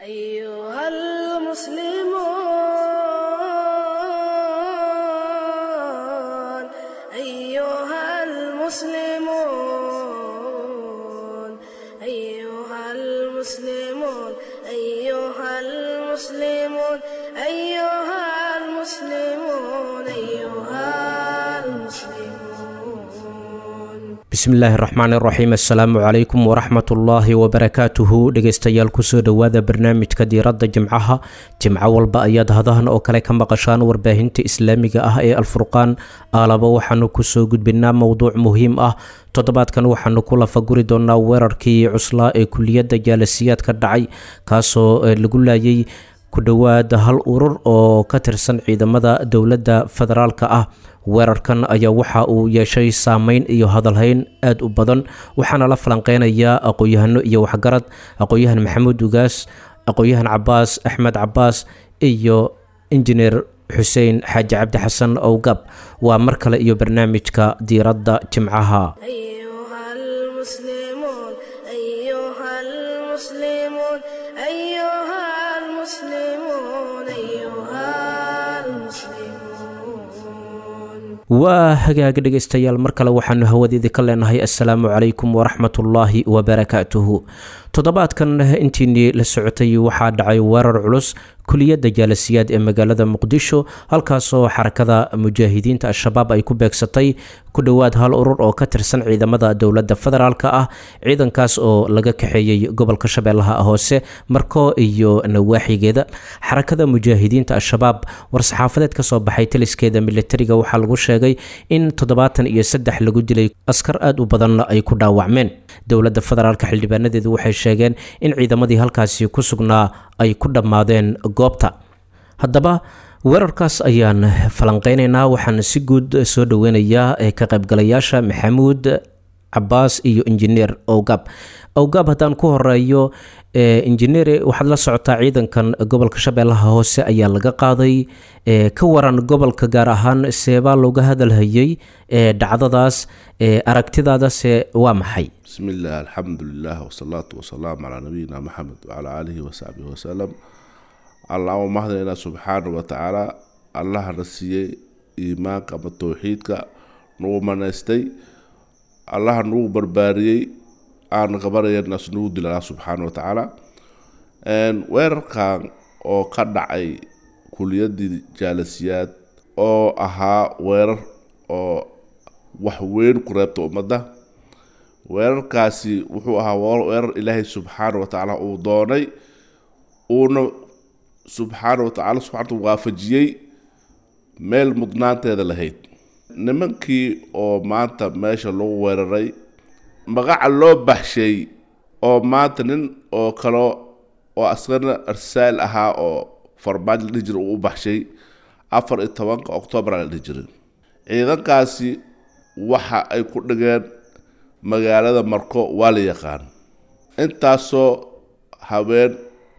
أيها المسلمون، أيها المسلمون، أيها المسلمون، أيها المسلمون، أيها المسلمون. Bismillaahi raxmaani raxiim, assalaamu calaykum waraxmatullaahi wabarakaatuhu. Dhegeystayaal, kusoo dhowaada barnaamijka diiradda jimcaha. Jimco walba ayaad hadahan oo kale ka maqashaan warbaahinta islaamiga ah ee Alfurqaan. Aalaba waxaanu kusoo gudbinaa mowduuc muhiim ah. Toddobaadkan waxaanu ku lafaguri doonaa weerarkii cuslaa ee kuliyadda jaalasiyaad ka dhacay, kaasoo lagu laayay ku dhowaad hal urur oo ka tirsan ciidamada dowladda federaalka ah. Weerarkan ayaa waxa uu yeeshay saameyn iyo hadalhayn aada u badan, waxaana la falanqeynayaa aqoon-yahano iyo waxgarad: aqoon-yahan Maxamuud Ugaas, aqoon-yahan Cabaas Axmed Cabaas iyo injineer Xuseen Xaaji Cabdi Xasan Owgab. Waa mar kale iyo barnaamijka diiradda jimcaha. أيها المسلمون، أيها المسلمون، أيها المسلمون، أيها المسلمون. Waa hagaag, dhegeystayaal, mar kale waxaanu hawadeedi ka leenahay assalaamu calaykum waraxmatullaahi wabarakaatuhu. Toddobaadkan intiinii la socotay waxaa dhacay weerar culus kuliyadda jaalasiyaad ee magaalada Muqdisho, halkaasoo xarakada mujaahidiinta Al-Shabaab ay ku beegsatay ku dhowaad hal urur oo ka tirsan ciidamada dowladda federaalka ah, ciidankaas oo laga kaxeeyey gobolka Shabeellaha Hoose, Marko iyo nawaaxigeeda. Xarakada mujaahidiinta Al-Shabaab war-saxaafadeed kasoo baxay taliskeeda militariga waxaa lagu sheegay in 73 lagu dilay, askar aada u badanna ay ku dhaawacmeen. Dowladda federaalka xildhibaanadeedu waxay sheegeen in ciidamadii halkaasi ku sugnaa ay ku dhammaadeen goobta. Haddaba weerarkaas ayaan falanqeynaynaa. Waxaan si guud soo dhoweynayaa ka qaybgalayaasha, Maxamuud Cabaas iyo injineer Owgab. Owgab haddaan ku horeeyo, injineere, waxaad la socotaa ciidankan gobolka Shabeellaha Hoose ayaa laga qaaday. Ka waran gobolka gaar ahaan, seebaa looga hadalhayay dhacdadaas? Aragtidaadase waa maxay? بسم الله، الحمد لله، والصلاة والسلام على نبينا محمد وعلى آله وصحبه وسلم. Allah u mahadnaynaa subxaana wa tacaala, Allahna siiyey iimaanka ama towxiidka, nagu manaystay, Allaha nagu barbaariyey, aan qabanaynas nagu dila Allah subxaana wa tacaala. Weerarkan oo ka dhacay kuliyaddii jaalasiyaad oo ahaa weerar oo wax weyn ku reebta ummadda, weerarkaasi wuxuu ahaa weerar Ilaahay subxaana wa tacaala uu doonay, uuna subxaana wa tacaala subxaana waafajiyey meel mudnaanteeda lahayd. Nimankii oo maanta meesha lagu weeraray, magaca loo baxshay oo maanta nin oo kale oo asagana arsaal ahaa oo Farmaajo la dhihi jiray uu u baxshay, 14-ka Oktoobar la dhihi jiray, ciidankaasi waxa ay ku dhigeen magaalada Marko waa la yaqaan. Intaasoo haween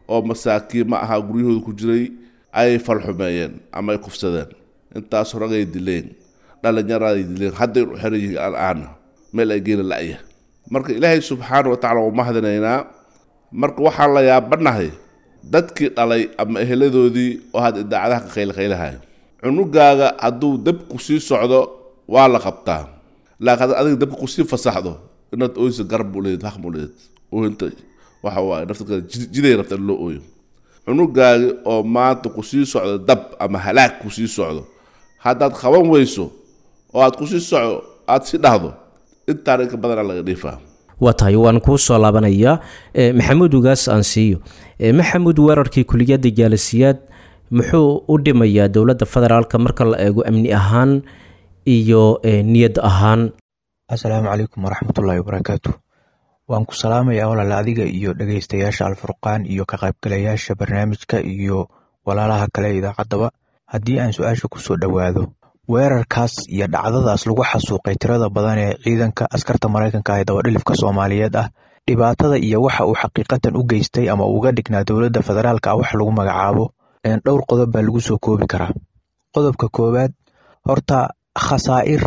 oo masaakiin ma ahaa guryahooda ku jiray ayay falxumeeyeen ama ay kufsadeen, intaasoo ragay dileen, dhalinyaraday dileen, hadday u xiran yihiin al'aana, meel ay geena la'ya. Marka Ilaahay subxaana wa tacala waa mahadinaynaa. Marka waxaan la yaabanahay dadkii dhalay ama eheladoodii oo hadda idaacadaha ka qaylqaylahayo. Cunugaaga hadduu dabku sii socdo waa la qabtaa, laakiin haddaad adiga dabka kusii fasaxdo inaad ooysa garab u leeyd, xaq u leeyd. Ooyinta waxa waaye nafta jiday rabta in loo ooyo. Cunugaagi oo maanta kusii socdo dab ama halaag kusii socdo, haddaad qaban weyso oo aad kusii soco aad si dhahdo, intaan inka badanaa laga dhiifaa. Waa tahay, waan kuu soo laabanayaa. Maxamuud Ugaas aan siiyo. Maxamuud, weerarkii kuliyadda jaalasiyaad muxuu u dhimayaa dowladda federaalka marka la eego amni ahaan iyo niyad ahaan? Assalaamu calaykum waraxmatullaahi wabarakaatu. Waan ku salaamayaa walaal, adiga iyo dhegeystayaasha Alfurqaan iyo ka qaybgalayaasha barnaamijka iyo walaalaha kale idaacaddaba. Haddii aan su-aasha kusoo dhowaado, weerarkaas iyo dhacdadaas lagu xasuuqay tirada badan ee ciidanka askarta Maraykanka ee dabadhilifka Soomaaliyeed ah, dhibaatada iyo waxa uu xaqiiqatan u geystay ama uga dhignaa dowladda federaalka ah wax lagu magacaabo dhowr qodob baa lagu soo koobi karaa. Qodobka koowaad, horta khasaa'ir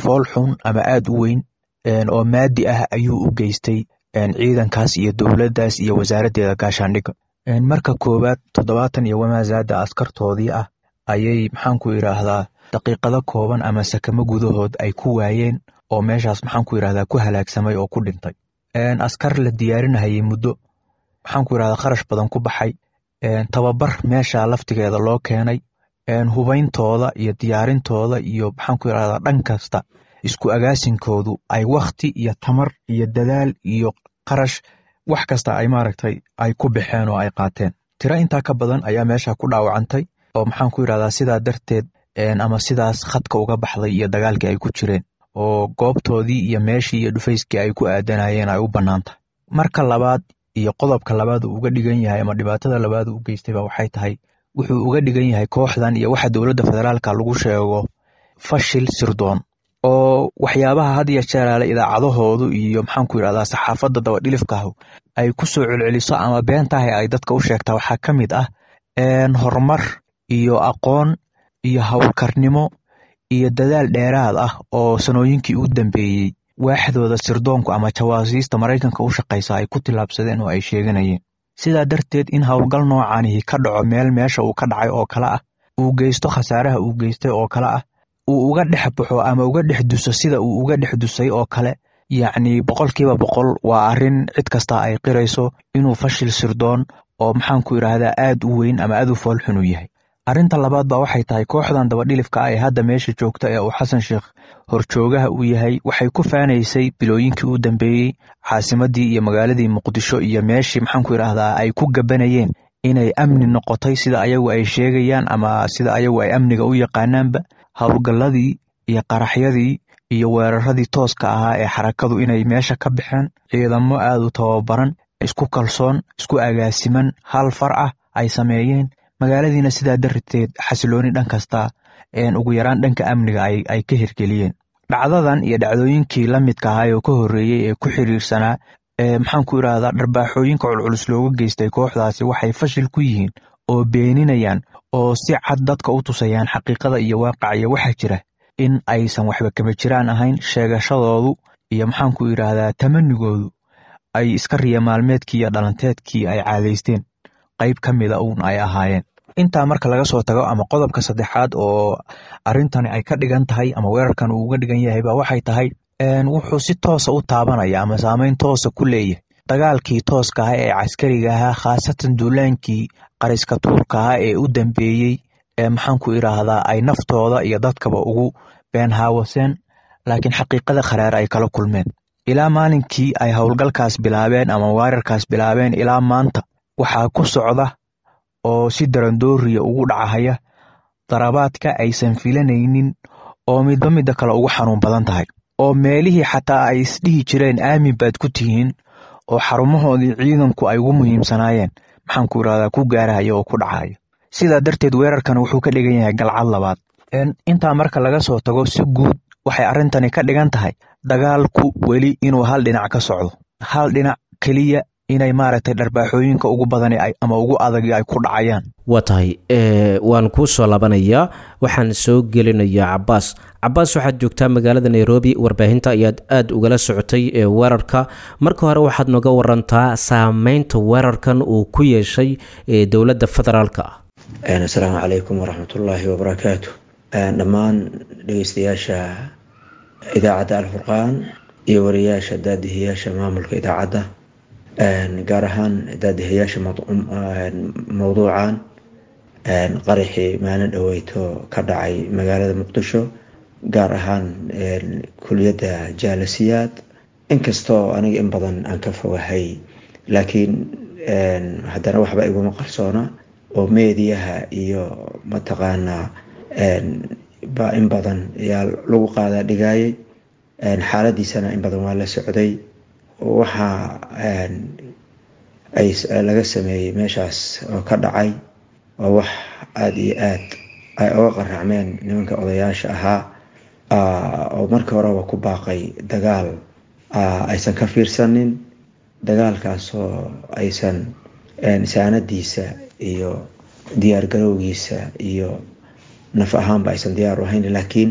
fool xun ama aad u weyn oo maadi ah ayuu u geystay ciidankaas iyo dowladdaas iyo wasaaraddeeda gaashaandhigga. Marka koowaad 70 iyo wamaasaada askartoodii ah ayay maxaanku idhaahdaa daqiiqado kooban ama sakamo gudahood ay ku waayeen oo meeshaas maxaanku idhahdaa ku halaagsamay oo ku dhintay. Askar la diyaarinahayay muddo maxaanku idhahdaa kharash badan ku baxay, tababar meesha laftigeeda loo keenay, hubayntooda iyo diyaarintooda iyo maxaanku idhahdaa dhan kasta isku agaasinkoodu ay wakhti iyo tamar iyo dadaal iyo qarash wax kasta ay maaragtay ay ku baxeen oo ay qaateen. Tiro intaa ka badan ayaa meesha ku dhaawacantay oo maxaanku idhahdaa sidaa darteed ama sidaas khadka uga baxday iyo dagaalkii ay ku jireen oo goobtoodii iyo meeshii iyo dhufayskii ay ku aadanayeen ay u bannaan tahay. Marka labaad iyo qodobka labaad uu uga dhigan yahay ama dhibaatada labaad uu u geystayba waxay tahay wuxuu uga dhigan yahay kooxdan iyo waxa dowladda federaalka lagu sheego fashil sirdoon oo waxyaabaha had iyo jeeraale idaacadahoodu iyo maxaanku yidhahdaa saxaafadda dabadhilifkahu ay ku soo celceliso ama beentahay ay dadka u sheegtaa waxaa ka mid ah horumar iyo aqoon iyo howlkarnimo iyo dadaal dheeraad ah oo sanooyinkii u dambeeyey waaxdooda sirdoonku ama jawaasiista Maraykanka u shaqaysa ay ku tillaabsadeen oo ay sheeganayeen. Sidaa darteed in howlgal noocanihi ka dhaco meel meesha uu ka dhacay oo kale ah, uu geysto khasaaraha uu geystay oo kale ah, uu uga dhex baxo ama uga dhex duso sida uu uga dhex dusay oo kale, yacni 100% waa arrin cid kasta ay qirayso inuu fashil sirdoon oo maxaanku idhaahdaa aad u weyn ama aad u foolxun u yahay. Arrinta labaad baa waxay tahay kooxdan dabadhilifka ah ee hadda meesha joogta ee uu Xasan Sheekh horjoogaha uu yahay waxay ku faanaysay bilooyinkii u dambeeyey caasimaddii iyo magaaladii Muqdisho iyo meeshii maxaanku idhaahdaa ay ku gabanayeen inay amni noqotay sida ayagu ay sheegayaan ama sida ayagu ay amniga u yaqaanaanba. Howlgalladii iyo qaraxyadii iyo weeraradii tooska ahaa ee xarakadu inay meesha ka baxeen, ciidamo aad u tababaran, isku kalsoon, isku agaasiman, hal far ah ay sameeyeen, magaaladiina sidaa darteed xasilooni dhan kasta ugu yaraan dhanka amniga ay ka hirgeliyeen. Dhacdadan iyo dhacdooyinkii la midka ahaa oo ka horreeyey ee ku xiriirsanaa maxaanku idhaahdaa dharbaaxooyinka culculus looga geystay kooxdaasi waxay fashil ku yihiin oo beeninayaan oo si cad dadka u tusayaan xaqiiqada iyo waaqaca iyo waxaa jira in aysan waxba kama jiraan ahayn sheegashadoodu iyo maxaanku idhaahdaa tamanigoodu ay iska riya maalmeedkii iyo dhalanteedkii ay caadaysteen qayb ka mida uun ay ahaayeen. Intaa marka laga soo tago ama qodobka saddexaad oo arrintani ay ka dhigan tahay ama weerarkan uu uga dhigan yahay baa waxay tahay wuxuu si toosa u taabanaya ama saameyn toosa ku leeyahay dagaalkii tooska ah ee caskariga ahaa, khaasatan duulaankii qariska tuurka ah ee u dambeeyey ee maxaanku idhaahdaa ay naftooda iyo dadkaba ugu beenhaawaseen, laakiin xaqiiqada kharaar ay kala kulmeen. Ilaa maalinkii ay howlgalkaas bilaabeen ama weerarkaas bilaabeen ilaa maanta waxaa ku socda oo si darandooriya ugu dhacahaya darabaadka aysan filanaynin oo midba midda kale ugu xanuun badan tahay, oo meelihii xataa ay isdhihi jireen aamin baad ku tihiin oo xarumahoodii ciidanku ay ugu muhiimsanaayeen maxaanku idhahdaa ku gaarahaya oo ku dhacaya. Sidaa darteed weerarkan wuxuu ka dhigan yahay galcad labaad. Intaa marka laga soo tago si guud waxay arrintani ka dhigan tahay dagaalku weli inuu hal dhinac ka socdo, hal dhinac keliya inay maaragtay dharbaaxooyinka ugu badani ama ugu adag ay ku dhacayaan. Waa tahay, waan kuu soo laabanayaa, waxaan soo gelinayaa Cabaas. Cabaas, waxaad joogtaa magaalada Nairobi, warbaahinta ayaad aada ugala socotay ee weerarka. Marka hore waxaad nooga warantaa saameynta weerarkan uu ku yeeshay dowladda federaalka ah. Asalaamu calaykum waraxmatullaahi wabarakaatu. Dhammaan dhegeystayaasha idaacadda Alfurqaan iyo wariyaasha daadihiyaasha maamulka idaacadda, gaar ahaan daadihayaasha mowduucan qaraxii maalin dhaweyto ka dhacay magaalada Muqdisho, gaar ahaan kuliyadda Jaalasiyaad. Inkastoo aniga in badan aan ka fogahay, laakiin haddana waxba iguma qarsoona oo meediyaha iyo mataqaanaa baa in badan ayaa lagu qaadaa dhigaayay, xaaladiisana in badan waa la socday. Waxaa ay laga sameeyey meeshaas oo ka dhacay oo wax aada iyo aad ay uga qaracmeen nimanka odayaasha ahaa oo markii horeba ku baaqay dagaal aysan ka fiirsanin, dagaalkaasoo aysan saanadiisa iyo diyaargarowgiisa iyo naf ahaanba aysan diyaar u ahayn. Laakiin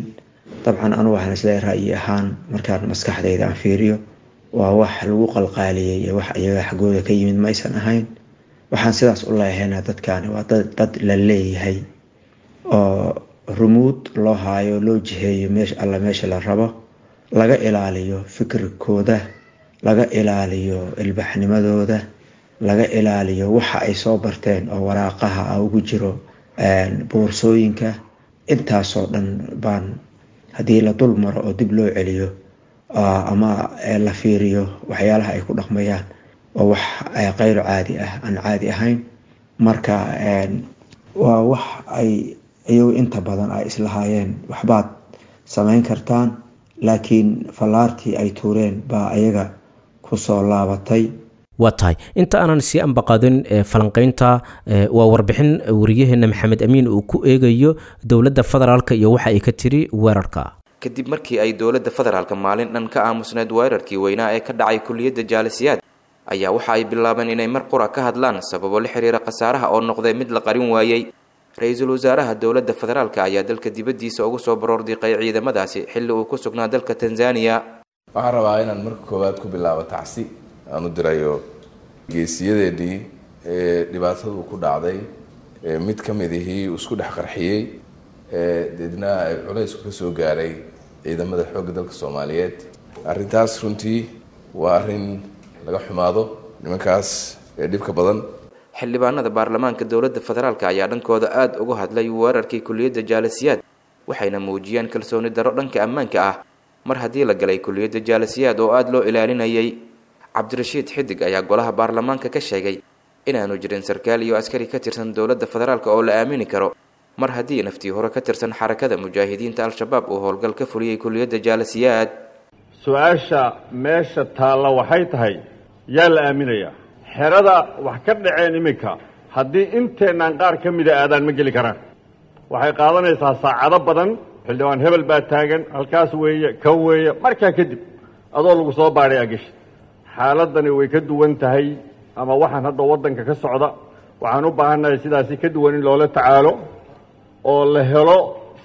dabcan anu waxaan isleeyahay ra'yi ahaan markaan maskaxdayda aan fiiriyo waa wax lagu qalqaaliyey iyo wax iyaga xaggooda ka yimid ma aysan ahayn. Waxaan sidaas u leehaynaa dadkaani waa dad la leeyahay oo rumuud loo haayo, loo jiheeyo meesha alla meesha la rabo, laga ilaaliyo fikirkooda, laga ilaaliyo ilbaxnimadooda, laga ilaaliyo waxa ay soo barteen oo waraaqaha ah ugu jiro boorsooyinka. Intaasoo dhan baan haddii la dul maro oo dib loo celiyo ama la fiiriyo waxyaalaha ay ku dhaqmayaan oo wax kayru caadi ah, aan caadi ahayn. Marka waa wax ay iyagu inta badan ay islahaayeen waxbaad samayn kartaan, laakiin fallaartii ay tuureen baa ayaga kusoo laabatay. Waa tahay, inta aanan sii ambaqaadin falanqeynta, waa warbixin wariyaheena Maxamed Amiin uu ku eegayo dowladda federaalka iyo waxa ay ka tiri weerarka. Kadib markii ay dowladda federaalka maalin dhan ka aamusneed weerarkii weynaa ee ka dhacay kuliyadda Jaalisiyaad, ayaa waxa ay bilaabeen inay mar qura ka hadlaan sababo la xiriira khasaaraha oo noqday mid la qarin waayey. Ra-iisul wasaaraha dowladda federaalka ayaa dalka dibaddiisa ugu soo baroordiiqay ciidamadaasi xilli uu ku sugnaa dalka Tanzaniya. Waxaan rabaa inaan marka koowaad ku bilaabo tacsi aan u dirayo geesiyadeennii ee dhibaatadu ku dhacday, mid ka mid ihii isku dhex qarxiyey, deedna ay culaysku ka soo gaaray ciidamada xoogga dalka Soomaaliyeed. Arrintaas runtii waa arrin laga xumaado, nimankaas ee dhibka badan. Xildhibaanada baarlamaanka dowladda federaalka ayaa dhankooda aada uga hadlay weerarkii kuliyadda Jaalisiyaad, waxayna muujiyeen kalsooni darro dhanka ammaanka ah mar haddii la galay kuliyadda Jaalisiyaad oo aada loo ilaalinayay. Cabdirashiid Xidig ayaa golaha baarlamaanka ka sheegay inaanu jirin sarkaal iyo askari ka tirsan dowladda federaalka oo la aamini karo mar haddii naftii hore ka tirsan Xarakada Mujaahidiinta Al-Shabaab uu howlgal ka fuliyey kuliyadda Jaalisiyaad. Su-aasha meesha taalla waxay tahay, yaa la aaminayaa xerada wax ka dhaceen iminka? Haddii inteennaan qaar ka mida aadaan, ma geli karaan, waxay qaadanaysaa saacado badan. Xildhibaan hebel baa taagan halkaas weeye, kan weeye, markaa kadib adoo lagu soo baadhay ageshi. Xaaladani way ka duwan tahay ama waxaan hadda waddanka ka socda. Waxaan u baahannahay sidaasi ka duwan in loola tacaalo oo la helo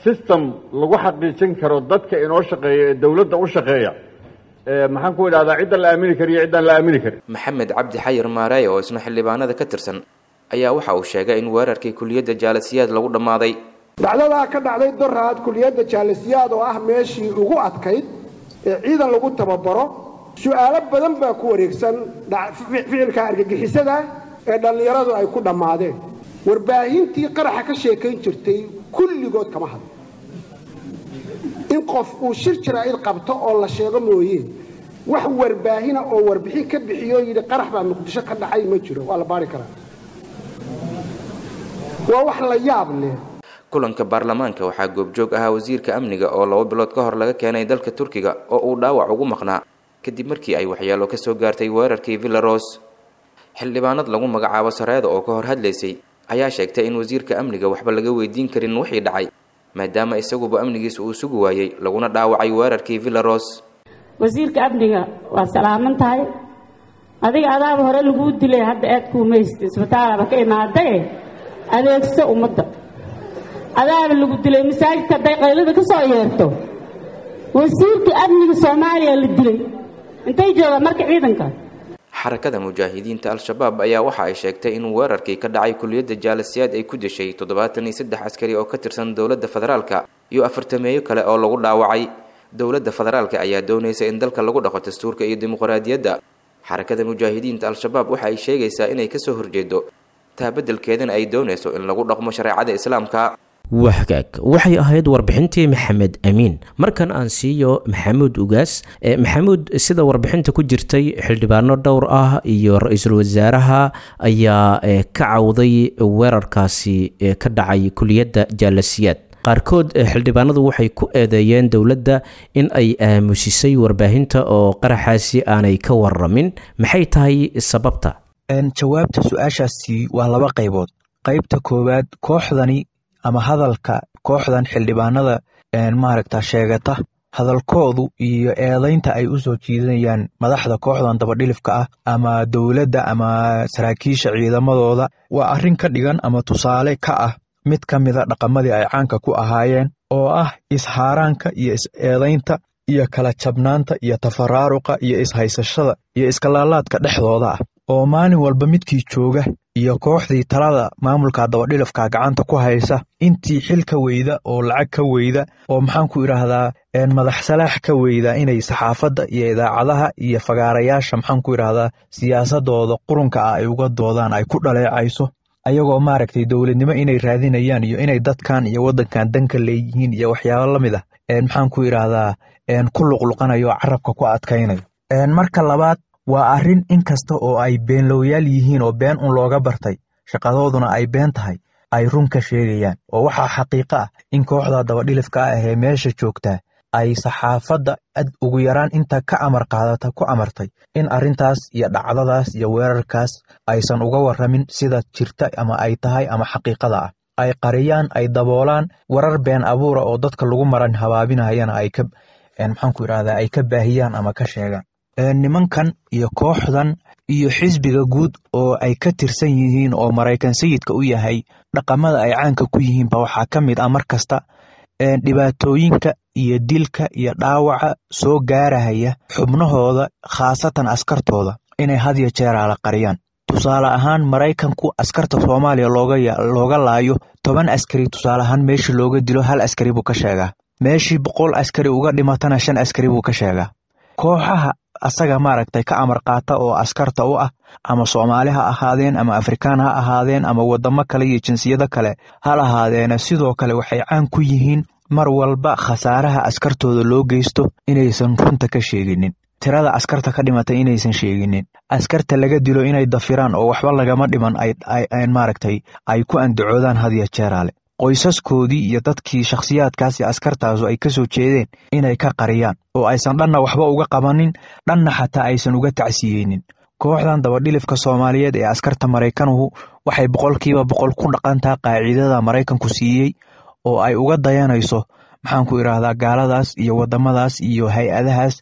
system lagu xaqiijin karo dadka inoo shaqeeya ee dowladda u shaqeeya, maxaan ku idhahdaa, cidda la aamini kariyo ciddaan la aamini karin. Maxamed Cabdi Xayir Maareeye oo isna xildhibaanada ka tirsan ayaa waxa uu sheegay in weerarkii kuliyadda Jaalasiyaad lagu dhammaaday. Dhacdadaa ka dhacday Doraad kuliyadda Jaalasiyaad oo ah meeshii ugu adkayd ee ciidan lagu tababaro, su-aalo badan baa ku wareegsan ficilka argagixisada ee dhallinyaradu ay ku dhammaadeen. Warbaahintii qaraxa ka sheekayn jirtay kulligood kama hadlo. In qof uu shir jaraa'id qabto oo la sheego mooye, wax warbaahina oo warbixin ka bixiyo yidhi qarax baa Muqdisho ka dhacay ma jiro. Waa la baari karaa, waa wax la yaab leh. Kulanka baarlamaanka waxaa goobjoog ahaa wasiirka amniga oo 2 bilood ka hor laga keenay dalka Turkiga oo uu dhaawac ugu maqnaa kadib markii ay waxyeelo ka soo gaartay weerarkii Villaros. Xildhibaanad lagu magacaabo Sareeda oo ka hor hadlaysay ayaa sheegtay in wasiirka amniga waxba laga weydiin karin wixii dhacay, maadaama isaguba amnigiisa uu sugi waayey laguna dhaawacay weerarkii Villaros. Wasiirka amniga, waa salaaman tahay adiga. Adaaba hore laguu dilay, hadda aad kuumaysta isbitaalaba ka imaadae. Adeegso ummadda, adaaba lagu dilay masaajidka hadday qaylada ka soo yeerto. Wasiirka amniga Soomaaliya la dilay, intay joogaan marka ciidanka? Xarakada Mujaahidiinta Al-Shabaab ayaa waxa ay sheegtay in weerarkii ka dhacay kuliyadda Jaalasiyaad ay ku dishay 73 askari oo ka tirsan dowladda federaalka iyo afartameeyo kale oo lagu dhaawacay. Dowladda federaalka ayaa doonaysa in dalka lagu dhaqo dastuurka iyo dimuqraadiyadda. Xarakada Mujaahidiinta Al-Shabaab waxa ay sheegaysaa inay kasoo horjeedo taa, beddelkeedana ay doonayso in lagu dhaqmo shareecada Islaamka. Wahagaag, waxay ahayd warbixintii Maxamed Amiin. Markan aan siiyo Maxamuud Ugaas. Maxamuud, sida warbixinta ku jirtay, xildhibaano dhowr ah iyo ra-iisul wasaaraha ayaa ka cawday weerarkaasi ka dhacay kuliyadda Jaalasiyaad. Qaarkood xildhibaanadu waxay ku eedeeyeen dowladda in ay aamusisay warbaahinta oo qaraxaasi aanay ka waramin. Maxay tahay sababta? Jawaabta su-aashaasi waa laba qaybood. Qaybta koowaad, kooxdani ama hadalka kooxdan xildhibaanada maaragta sheegata, hadalkoodu iyo eedeynta ay u soo jiidanayaan madaxda kooxdan dabadhilifka ah ama dowladda ama saraakiisha ciidamadooda, waa arrin ka dhigan ama tusaale ka ah mid ka mida dhaqamadii ay caanka ku ahaayeen oo ah ishaaraanka iyo is-eedaynta iyo kala jabnaanta iyo tafaraaruqa iyo ishaysashada iyo iskalaalaadka dhexdooda ah. Oo maalin walba midkii jooga iyo kooxdii talada maamulka dabadhilafka gacanta ku haysa, intii xil ka weyda oo lacag ka weyda oo maxaan ku idhaahdaa madax salaax ka weyda, inay saxaafadda iyo idaacadaha iyo fagaarayaasha maxaan ku idhaahdaa siyaasadooda qurunka ah ay uga doodaan, ay ku dhaleecayso, ayagoo maaragtay dowladnimo inay raadinayaan iyo inay dadkan iyo waddankan danka leeyihiin iyo waxyaabo la mid ah maxaan ku idhaahdaa ku luqluqanayo oo carabka ku adkaynayo. Marka labaad, waa arrin in kasta oo ay beenlowyaal yihiin oo been un looga bartay, shaqadooduna ay been tahay, ay run ka sheegayaan. Oo waxaa xaqiiqo ah in kooxda dabadhilifka ah ee meesha joogtaa ay saxaafadda ad ugu yaraan inta ka amar qaadata ku amartay in arrintaas iyo dhacdadaas iyo weerarkaas aysan uga warramin sida jirta ama ay tahay ama xaqiiqada ah, ay qariyaan, ay daboolaan, warar been abuura oo dadka lagu maran habaabinayana ay ka maxaan ku idhahdaa ay ka baahiyaan ama ka sheegaan. Nimankan iyo kooxdan iyo xisbiga guud oo ay ka tirsan yihiin oo Maraykan sayidka u yahay, dhaqamada ay caanka ku yihiin ba waxaa ka mid ah mar kasta dhibaatooyinka iyo dilka iyo dhaawaca soo gaarahaya xubnahooda, khaasatan askartooda, inay had iyo jeeraala qariyaan. Tusaale ahaan, Maraykanku askarta Soomaaliya looga laayo 10 askari, tusaale ahaan, meeshii looga dilo hal askari buu ka sheegaa, meeshii 100 askari uga dhimatana 5 askari buu ka sheegaa. Kooxaha asaga maaragtay ka amar qaata oo askarta u ah, ama Soomaali ha ahaadeen ama Afrikaan ha ahaadeen ama wadamo kale iyo jinsiyado kale ha lahaadeena, sidoo kale waxay caan ku yihiin mar walba khasaaraha askartooda loo geysto inaysan runta ka sheeginin, tirada askarta ka dhimatay inaysan sheeginin, askarta laga dilo inay dafiraan oo waxba lagama dhiman maaragtay ay ku andacoodaan had iyo jeeraale, qoysaskoodii iyo dadkii shakhsiyaadkaas iyo askartaasu ay ka soo jeedeen inay ka qariyaan oo aysan dhanna waxba uga qabanin, dhanna xataa aysan uga tacsiyeynin. Kooxdan dabadhilifka Soomaaliyeed ee askarta Maraykanuhu waxay 100% ku dhaqantaa qaacidada Maraykanku siiyey oo ay uga dayanayso maxaan ku idhaahdaa gaaladaas iyo wadamadaas iyo hay-adahaas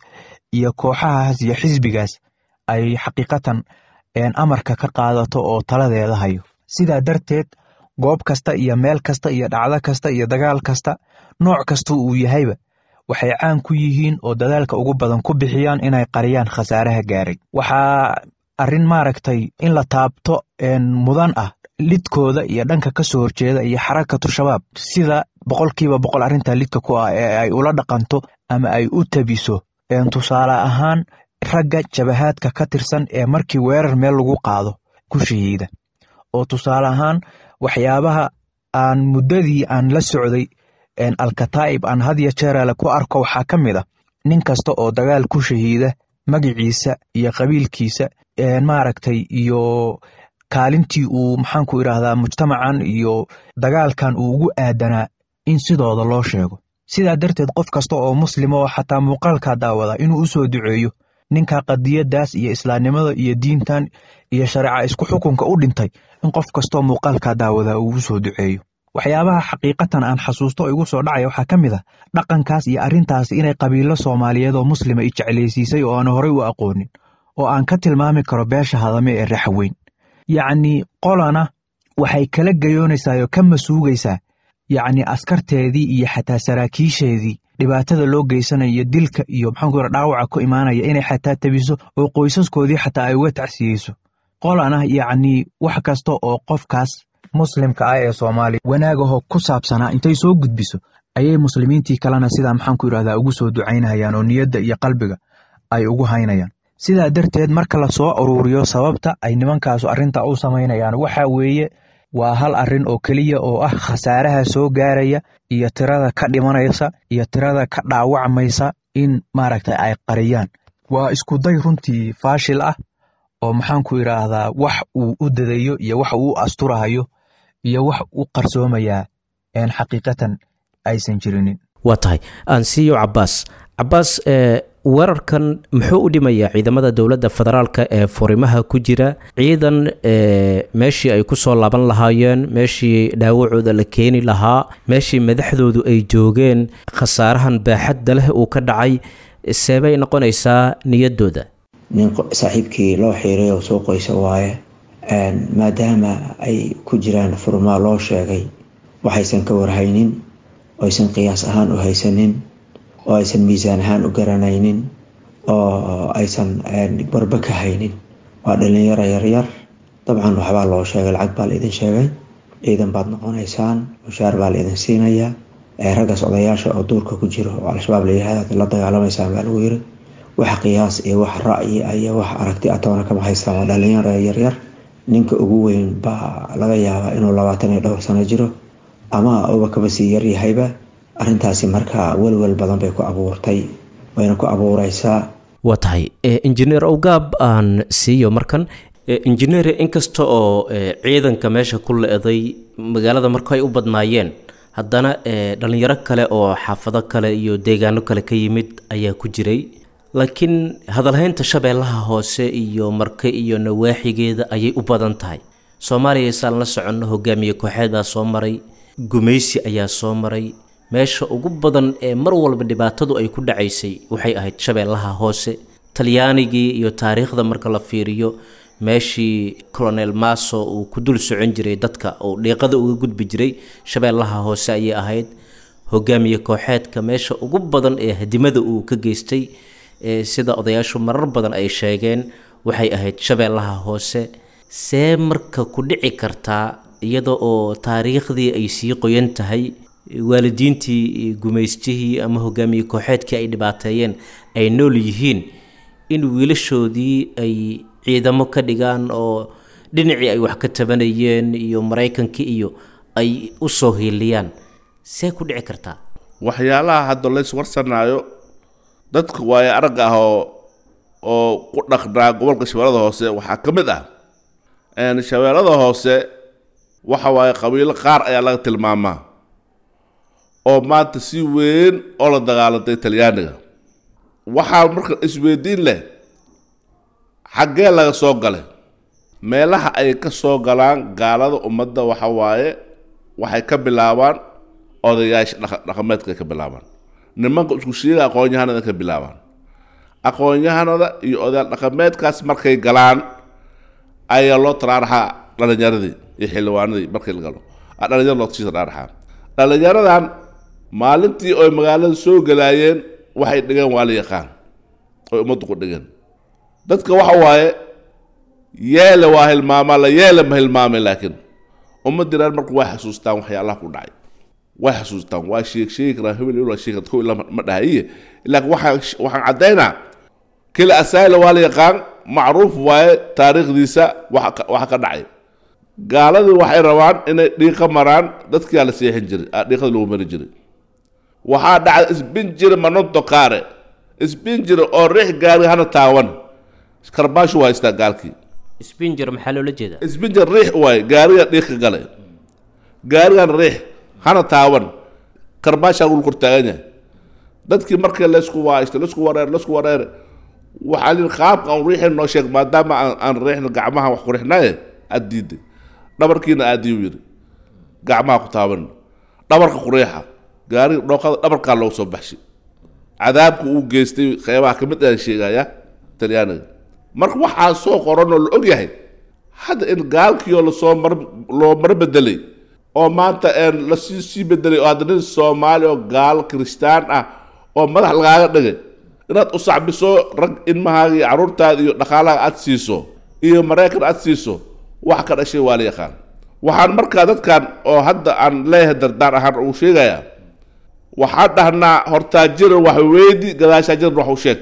iyo kooxahaas iyo xisbigaas ay xaqiiqatan amarka ka qaadato oo taladeeda hayo. Sidaa darteed, goob kasta iyo meel kasta iyo dhacdo kasta iyo dagaal kasta, nooc kasta uu yahayba, waxay caan ku yihiin oo dadaalka ugu badan ku bixiyaan inay qariyaan khasaaraha gaaray. Waxaa arrin maaragtay in la taabto mudan ah lidkooda iyo dhanka ka soo horjeeda iyo Xarakatu Shabaab, sida 100% arrintaa lidka ku ah ee ay ula dhaqanto ama ay u tabiso. Tusaale ahaan, ragga jabahaadka ka tirsan ee markii weerar meel lagu qaado ku shahiida, oo tusaale ahaan waxyaabaha aan muddadii aan la socday Alkataa'ib aan had iyo jeeraale ku arko waxaa ka mid ah nin kasta oo dagaal ku shahiida magiciisa iyo qabiilkiisa maaragtay iyo kaalintii uu maxaan ku idhaahdaa mujtamacan iyo dagaalkan uu ugu aadanaa in sidooda loo sheego. Sidaa darteed, qof kasta oo muslima oo xataa muuqaalkaa daawada inuu u soo duceeyo ninka qadiyadaas iyo islaamnimada iyo diintan iyo shareeca isku xukunka u dhintay, in qof kastoo muuqaalkaa daawada uu u soo duceeyo. Waxyaabaha xaqiiqatan aan xasuusto igu soo dhacaya waxaa ka mid ah dhaqankaas iyo arrintaas inay qabiilo Soomaaliyeed oo muslima i jeclaysiisay oo aan horey u aqoonin, oo aan ka tilmaami karo beesha Hadame ee Raxweyn. Yacnii qolana waxay kala gayoonaysaa oo ka masuugaysaa yacni askarteedii iyo xataa saraakiisheedii dhibaatada loo geysanayo, dilka iyo maxaan ku yidhaha dhaawaca ku imaanaya, inay xataa tabiso oo qoysaskoodii xataa ay uga tacsiyeyso. Qolana yacnii wax kasta oo qofkaas muslimka ah ee Soomaaliya wanaagaho ku saabsanaa intay soo gudbiso ayay muslimiintii kalena sidaa maxaan ku yidhahdaa ugu soo ducaynayaan oo niyadda iyo qalbiga ay ugu haynayaan. Sidaa darteed, marka la soo aruuriyo sababta ay nimankaasu arrinta u samaynayaan, waxa weeye waa hal arrin oo keliya oo ah khasaaraha soo gaaraya iyo tirada ka dhimanaysa iyo tirada ka dhaawacmaysa in maaragtay ay qariyaan. Waa iskuday runtii faashil ah oo maxaan ku idhaahdaa wax uu u dadayo iyo wax uu u asturahayo iyo wax u qarsoomayaa een xaqiiqatan aysan jirinin. Waa tahay, aansiiyo Cabaas. Cabaas, weerarkan muxuu u dhimayaa ciidamada dowladda federaalka ee furimaha ku jira? Ciidan meeshii ay kusoo laaban lahaayeen, meeshii dhaawacooda la keeni lahaa, meeshii madaxdoodu ay joogeen, khasaarahan baaxadda leh uu ka dhacay, seebay noqonaysaa niyaddooda? Nin saaxiibkii loo xiiray oo soo qoysa waaye, maadaama ay ku jiraan furmaa loo sheegay waxaysan ka warhaynin, oo aysan qiyaas ahaan u haysanin, oo aysan miisaan ahaan u garanaynin, oo aysan warba ka haynin. Waa dhalinyaro yaryar, dabcan waxbaa loo sheegay, lacag baa la idin sheegay, ciidan baad noqonaysaan, mushaar baa la idin siinayaa. Raggaas odayaasha oo duurka ku jiro oo Al-Shabaab la yihahdo la dagaalamaysaan baa lagu yiri. Wax qiyaas iyo wax ra'yi iyo wax aragti ah toona kama haystaan. Waa dhalinyaro yaryar. Ninka ugu weyn baa laga yaabaa inuu 22 sano jiro ama uba kaba sii yaryahayba. Arrintaasi marka welwel badan bay ku abuurtay, wayna ku abuureysaa. Waa tahay, injineer Owgaab aan siiyo markan. Injineer, inkasta oo ciidanka meesha ku le-day magaalada marka ay u badnaayeen, haddana dhalinyaro kale oo xaafado kale iyo deegaano kale ka yimid ayaa ku jiray, laakiin hadalhaynta Shabeellaha Hoose iyo Marke iyo nawaaxigeeda ayay u badan tahay. Soomaaliya saan la soconno hogaamiye kooxeed baa soo maray, gumaysi ayaa soo maray. Meesha ugu badan ee mar walba dhibaatadu ay ku dhacaysay waxay ahayd Shabeellaha Hoose. Talyaanigii iyo taariikhda marka la fiiriyo, meeshii Colonel Maso uu ku dul socon jiray dadka oo dhiiqada uga gudbi jiray Shabeellaha Hoose ayay ahayd. Hogaamiye kooxeedka meesha ugu badan ee hadimada uu ka geystay, sida odayaashu marar badan ay sheegeen, waxay ahayd Shabeellaha Hoose. See marka ku dhici kartaa iyada oo taariikhdii ay sii qoyan tahay, waalidiintii gumaystihii ama hogaamiye kooxeedkii ay dhibaateeyeen ay nool yihiin, in wiilashoodii ay ciidamo ka dhigaan oo dhinacii ay wax ka tabanayeen iyo Maraykankii iyo ay u soo hiiliyaan? See ku dhici kartaa? Waxyaalaha hadda lays warsanaayo dadka waayo aragga ah oo ku dhaqnaa gobolka Shabeellada Hoose waxaa ka mid ah, Shabeellada Hoose waxa waaye qabiilo qaar ayaa laga tilmaamaa oo maanta si weyn oo la dagaalantay Talyaaniga. Waxaa marka isweydiin leh, xaggee laga soo galay? Meelaha ay ka soo galaan gaalada ummadda waxa waaye waxay ka bilaabaan odayaasha dhaqameedka ay ka bilaabaan, nimanka isku sheega aqoon-yahanada ka bilaabaan. Aqoon-yahanada iyo odayaal dhaqameedkaas markay galaan ayaa loo taraaraxaa dhalinyaradii iyo xildhibaanadii. Markii la galo dhalinyar loo sii taraaraxaa. Dhalinyaradan maalintii oy magaalada soo galaayeen waxay dhigeen waa la yaqaan, oy ummaddu ku dhigeen. Dadka waxa waaye yeele waa hilmaamaa, la yeele ma hilmaamay, laakiin ummaddii reer marku way xasuustaan waxyaalaha ku dhacay, way xasuustaan, waa sheeg sheegi karaan, hebel hebel waa sheegi kartaa, kow ilaa ma dhahaye. Laakiin waxaan caddaynaa kila asaayla waa la yaqaan, macruuf waaye taariikhdiisa waxa ka dhacay. Gaaladii waxay rabaan inay dhiiqa maraan, dadkiyaa la seexin jiray, dhiiqada lagu mari jiray. Waxaa dhacda isbinjiri manonto kaare isbinjiri oo riix gaari hana taawan, karbaashu waa haystaa gaalkii. Sbinger maxaa loola jeedaa? Isbinjir riix waaye, gaariga dhiiqa galay, gaarigan riix hana taawan, karbaashaa lagu kor taagan yahay. Dadkii markii laysku waaysto, laysku wareer, laysku wareere, waxaa lihi qaabka aan riixin noo sheeg, maadaama aan riixna gacmaha wax ku riixnaye aad diiday, dhabarkiina aadiyu yidhi gacmaha ku taaban, dhabarka ku riixa gaariga, dhooqada dhabarkaa loogu soo baxshay. Cadaabka uu geystay qeybaha ka mid aan sheegaya Talyaaniga. Marka waxaa soo qoran oo la og yahay hadda in gaalkiioo lasoo mar loo mar bedelay oo maanta lasii sii bedelay, oo hadda nin Soomaali oo gaal kiristaan ah oo madax lagaaga dhigay inaad u sacbiso, rag ilmahaaga iyo carruurtaada iyo dhaqaalaha aad siiso iyo Maraykan aad siiso, wax ka dhashay waa la yaqaan. Waxaan markaa dadkan oo hadda aan leeyahay dardaar ahaan ugu sheegayaa, waxaan dhahnaa hortaajira wax weydi, gadaashaa jiran wax u sheeg.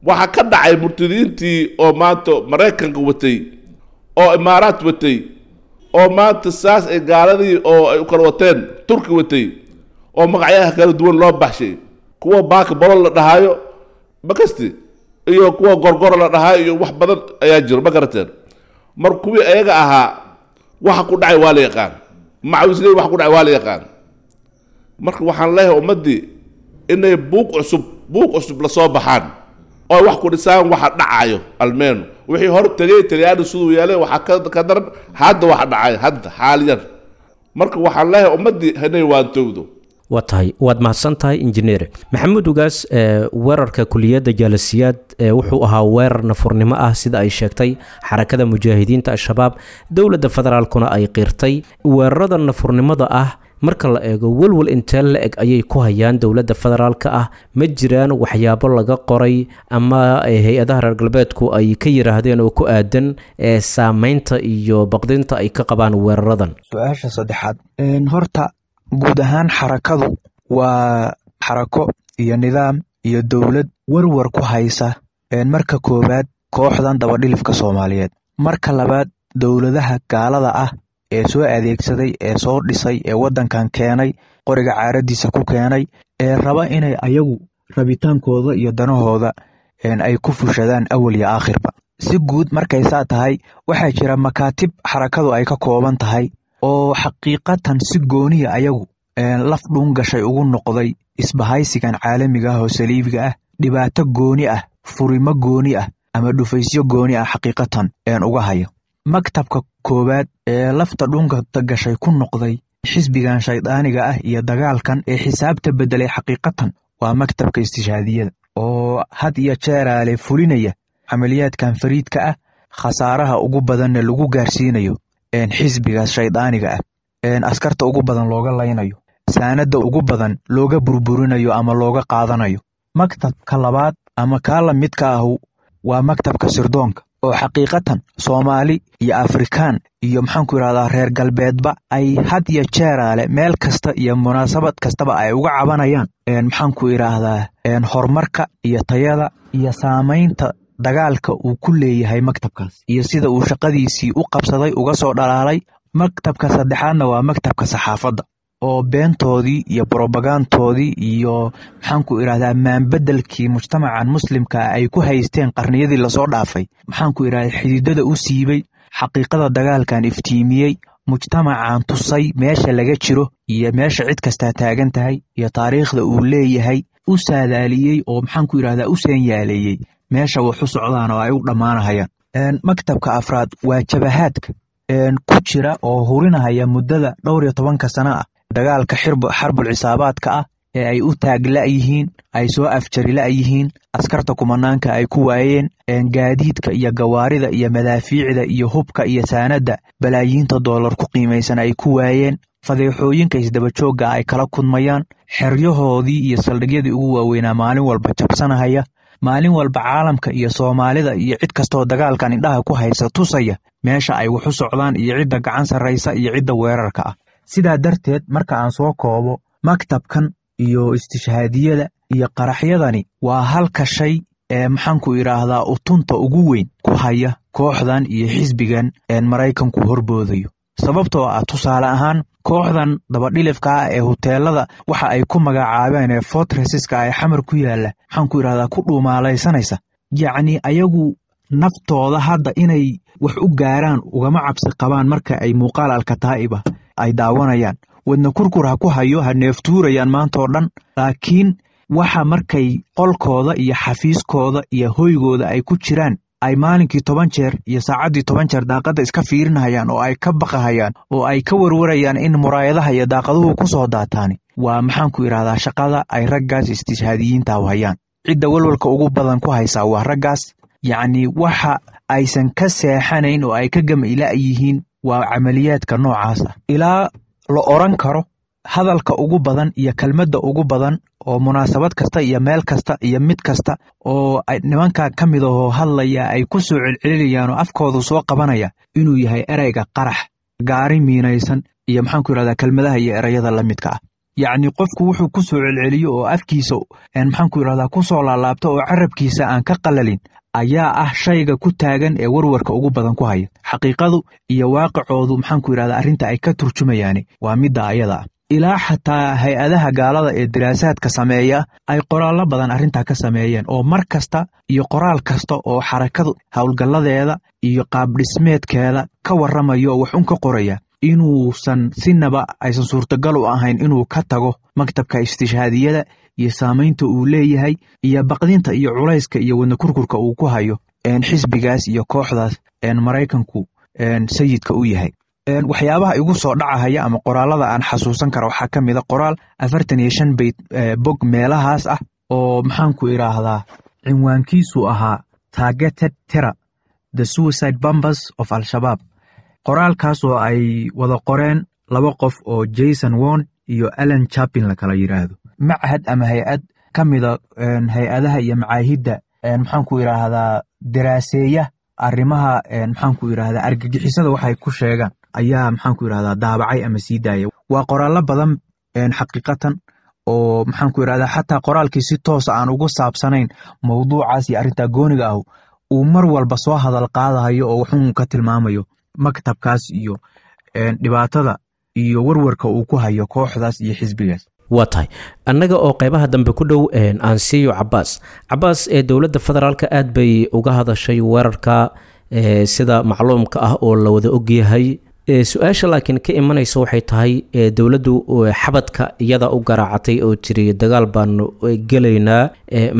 Waxaa ka dhacay murtadiintii oo maanta Maraykanka watay oo Imaaraad watay oo maanta saas ay gaaladii oo ay u kala wateen, Turki watay oo magacyaha kala duwan loo baxshay, kuwa baaka bolol la dhahaayo makasti iyo kuwa gorgoro la dhahaayo iyo wax badan ayaa jiro, ma garateen? Mar kuwii ayaga ahaa waxa ku dhacay waa la yaqaan, macawisley waxa ku dhacay waa la yaqaan. Marka waxaan leeyahay ummaddii inay buuq cusub, buuq cusub lasoo baxaan oo wax ku dhisaan waxa dhacayo. Almeeno wixii hor tegay Talyaani siduu yeelay waxaa ka daran hadda waxa dhacay hadda xaaliyan. Marka waxaan leeyahay ummaddii inay waantowdo. Waa tahay, waad mahadsan tahay injineer Maxamuud Ugaas. Weerarka kuliyadda Jaalasiyaad wuxuu ahaa weerar nafurnimo ah sida ay sheegtay Xarakada Mujaahidiinta Al-Shabaab, dowladda federaalkuna ay qirtay. Weerarada nafurnimada ah Marka la eego, welwel intee la eg ayay ku hayaan dowladda federaalka ah? Ma jiraan waxyaabo laga qoray ama hay-adaha reer galbeedku ay ka yiraahdeen oo ku aadan saameynta iyo baqdinta ay ka qabaan weeraradan? Su-aasha saddexaad, horta guud ahaan xarakadu waa xarako iyo nidaam iyo dowlad warwar ku haysa. Marka koowaad kooxdan dabadhilifka Soomaaliyeed, marka labaad dowladaha gaalada ah ee soo adeegsaday, ee soo dhisay, ee waddankan keenay, qoriga caaradiisa ku keenay, ee raba inay ayagu rabitaankooda iyo danahooda ay ku fushadaan awal iyo aakhirba. Si guud markay saa tahay, waxaa jira makaatib xarakadu ay ka kooban tahay oo xaqiiqatan si gooniya ayagu laf dhuun gashay ugu noqday isbahaysigan caalamiga ah oo saliibiga ah, dhibaato gooni ah, furimo gooni ah ama dhufaysyo gooni ah xaqiiqatan uga hayo. Maktabka koowaad ee lafta dhuunka gashay ku noqday xisbigan shaydaaniga ah iyo dagaalkan ee xisaabta beddelay xaqiiqatan waa maktabka istishhaadiyada, oo had iyo jeeraale fulinaya camaliyaadkan fariidka ah, khasaaraha ugu badanna lagu gaarsiinayo xisbigaas shaydaaniga ah, askarta ugu badan looga laynayo, saanadda ugu badan looga burburinayo ama looga qaadanayo. Maktabka labaad ama kaa la midka ahu waa maktabka sirdoonka, oo xaqiiqatan Soomaali iyo Afrikaan iyo maxaanku yidhahdaa reer galbeedba ay had iyo jeeraale meel kasta iyo munaasabad kastaba ay uga cabanayaan maxaanku idhaahdaa horumarka iyo tayada iyo saamaynta dagaalka uu ku leeyahay maktabkaas iyo sida uu shaqadiisii u qabsaday uga soo dhalaalay. Maktabka saddexaadna waa maktabka saxaafadda, oo beentoodii iyo brobagantoodii iyo maxaanku idhahdaa maanbedelkii mujtamacan muslimka ay ku haysteen qarniyadii lasoo dhaafay maxaanku idhahdaa xididada u siibay, xaqiiqada dagaalkan iftiimiyey, mujtamacan tusay meesha laga jiro iyo meesha cid kastaa taagan tahay iyo taariikhda uu leeyahay, u saadaaliyey oo maxaanku idhahdaa u seenyaaleeyey meesha wax u socdaan oo ay u dhammaanahayaan. Maktabka afraad waa jabahaadka ku jira oo hurinahaya muddada dhowr iyo tobanka sano ah dagaalka xarbul cisaabaadka ah ee ay u taag la'yihiin, ay soo afjari la'yihiin, askarta kumanaanka ay ku waayeen, gaadiidka iyo gawaarida iyo madaafiicda iyo hubka iyo saanadda balaayiinta doolar ku qiimaysan ay ku waayeen, fadeexooyinka isdabajoogga ay kala kudmayaan, xeryahoodii iyo saldhigyadii ugu waaweynaa maalin walba jabsanahaya, maalin walba caalamka iyo Soomaalida iyo cid kastoo dagaalkan indhaha ku haysa tusaya meesha ay wax u socdaan iyo cidda gacan sarraysa iyo cidda weerarka ah. Sidaa darteed, marka aan soo koobo, maktabkan iyo istishhaadiyada iyo qaraxyadani waa halka shay ee maxaanku idhaahdaa utunta ugu weyn ku haya kooxdan iyo xisbigan Maraykanku horboodayo. Sababtoo ah, tusaale ahaan, kooxdan dabadhilifka ah ee huteelada waxa ay ku magacaabeen ee fortressiska ee Xamar ku yaalla maxaanku idhahdaa ku dhuumaalaysanaysa, yacni ayagu naftooda hadda inay wax u gaaraan ugama cabsi qabaan. Marka ay muuqaal Alkataa'iba ay daawanayaan, wadna kurkur ha ku hayo, ha neeftuurayaan maantaoo dhan, laakiin waxa markay qolkooda iyo xafiiskooda iyo hoygooda ay ku jiraan ay maalinkii 10 jeer iyo saacaddii 10 jeer daaqadda iska fiirinahayaan oo ay ka baqahayaan oo ay ka warwarayaan in muraayadaha iyo daaqaduhu ku soo daataani waa maxaanku idhahdaa shaqada ay raggaas istishhaadiyiinta hayaan. Cidda walwalka ugu badan ku haysaa waa raggaas. Yacni waxa aysan ka seexanayn oo ay ka gamila yihiin waa camaliyaadka noocaas ah, ilaa la oran karo hadalka ugu badan iyo kelmadda ugu badan oo munaasabad kasta iyo meel kasta iyo mid kasta oo nimanka ka mid ahoo hadlaya ay ku soo celcelinayaan oo afkoodu soo qabanaya inuu yahay ereyga qarax, gaari miinaysan iyo maxaanku yidhahdaa kelmadaha iyo ereyada la midka ah. Yacni qofku wuxuu ku soo celceliyo oo afkiisa maxaanku yidhahdaa ku soo laalaabto oo carabkiisa aan ka qalalin ayaa ah shayga ku taagan ee warwarka ugu badan ku haya. Xaqiiqadu iyo waaqicoodu maxaanku yidhahdaa arrinta ay ka turjumayaani waa midda ayada ah, ilaa xataa hay-adaha gaalada ee diraasaadka sameeya ay qoraallo badan arrintaa ka sameeyeen, oo mar kasta iyo qoraal kasta oo xarakadu howlgalladeeda iyo qaabdhismeedkeeda ka warramayo oo wax un ka qoraya inuusan sinaba aysan suurtagal u ahayn inuu ka tago maktabka istishhaadiyada iyo saamaynta uu leeyahay iyo baqdinta iyo culayska iyo wadna kurkurka uu ku hayo xisbigaas iyo kooxdaas Maraykanku sayidka u yahay. Waxyaabaha igu soo dhacahaya ama qoraalada aan xasuusan kara waxaa ka mid a qoraal 45 beyt bog meelahaas ah oo maxaanku idhaahdaa cinwaankiisu ahaa "Targeted Terror: The Suicide Bombers of Al-Shabaab", qoraalkaas oo ay wada qoreen laba qof oo Jason Won iyo Alan Chapin la kala yiraahdo. Machad ama hay-ad ka mida hay-adaha iyo macaahidda maxaan ku yidhaahdaa daraaseeya arrimaha maxaan ku yidhaahdaa argagixisada waxay ku sheegaan ayaa maxaan ku yidhahdaa daabacay ama sii daaya. Waa qoraallo badan xaqiiqatan oo maxaan ku yidhahdaa xataa qoraalkii si toosa aan ugu saabsanayn mowduucaas iyo arrintaa gooniga ah uu mar walba soo hadal qaadahayo oo wuxuu ka tilmaamayo maktabkaas iyo dhibaatada iyo warwarka uu ku hayo kooxdaas iyo xisbigaas. Waa tahay, annaga oo qeybaha dambe ku dhow aan siiyo Cabaas. Cabaas, ee dowladda federaalka aad bay uga hadashay weerarka sida macluumka ah oo la wada ogyahay. Su-aasha laakiin ka imanaysa waxay tahay, dowladdu xabadka iyada u garaacatay oo tiri dagaal baanu gelaynaa,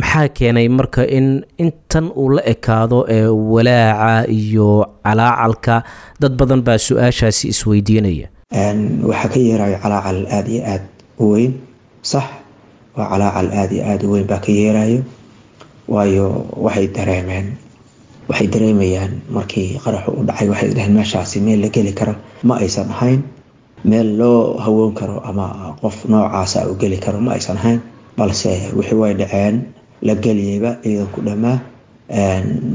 maxaa keenay marka in intan uu la ekaado walaaca iyo calaacalka? Dad badan baa su-aashaasi isweydiinaya. Waxaa ka yeerayo calaacal aada iyo aada u weyn. Sax, waa calaacal aada iyo aada u weyn baa ka yeerayo, waayo waxay dareemeen, waxay dareemayaan markii qaraxu u dhacay, waxay dhaheen meeshaasi meel la geli karo ma aysan ahayn, meel loo hawoon karo ama qof noocaasa u geli karo ma aysan ahayn. Balse wixii way dhaceen, la geliyeyba ciidanku dhammaa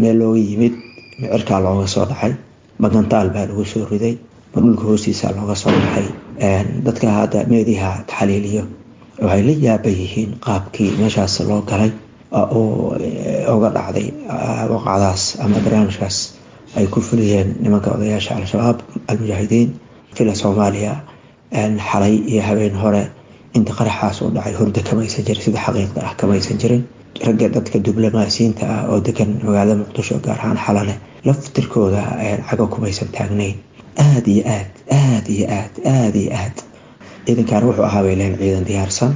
meel looga yimid, micirkaa looga soo dhacay, magantaal baa lagu soo riday, ma dhulka hoostiisa looga soo dhacay. Dadka hadda meediha taxaliiliyo waxay la yaaba yihiin qaabkii meeshaas loo galay oo uga dhacday waqacdaas ama barnaamijkaas ay ku fuliyeen nimanka odayaasha Al-Shabaab Almujaahidiin fila Soomaaliya xalay iyo habeen hore. Inta qaraxaas u dhacay hurdo kamaysan jirin, sida xaqiiqda ah kamaysan jirin. Ragga dadka diblomaasiyiinta ah oo degan magaalada Muqdisho, gaar ahaan Xalane, laftirkooda cago kumaysan taagnayn. Aada iyo aad, aada iyo aad, aada iyo aad ciidankan wuxuu ahaa bay leeyihin ciidan diyaarsan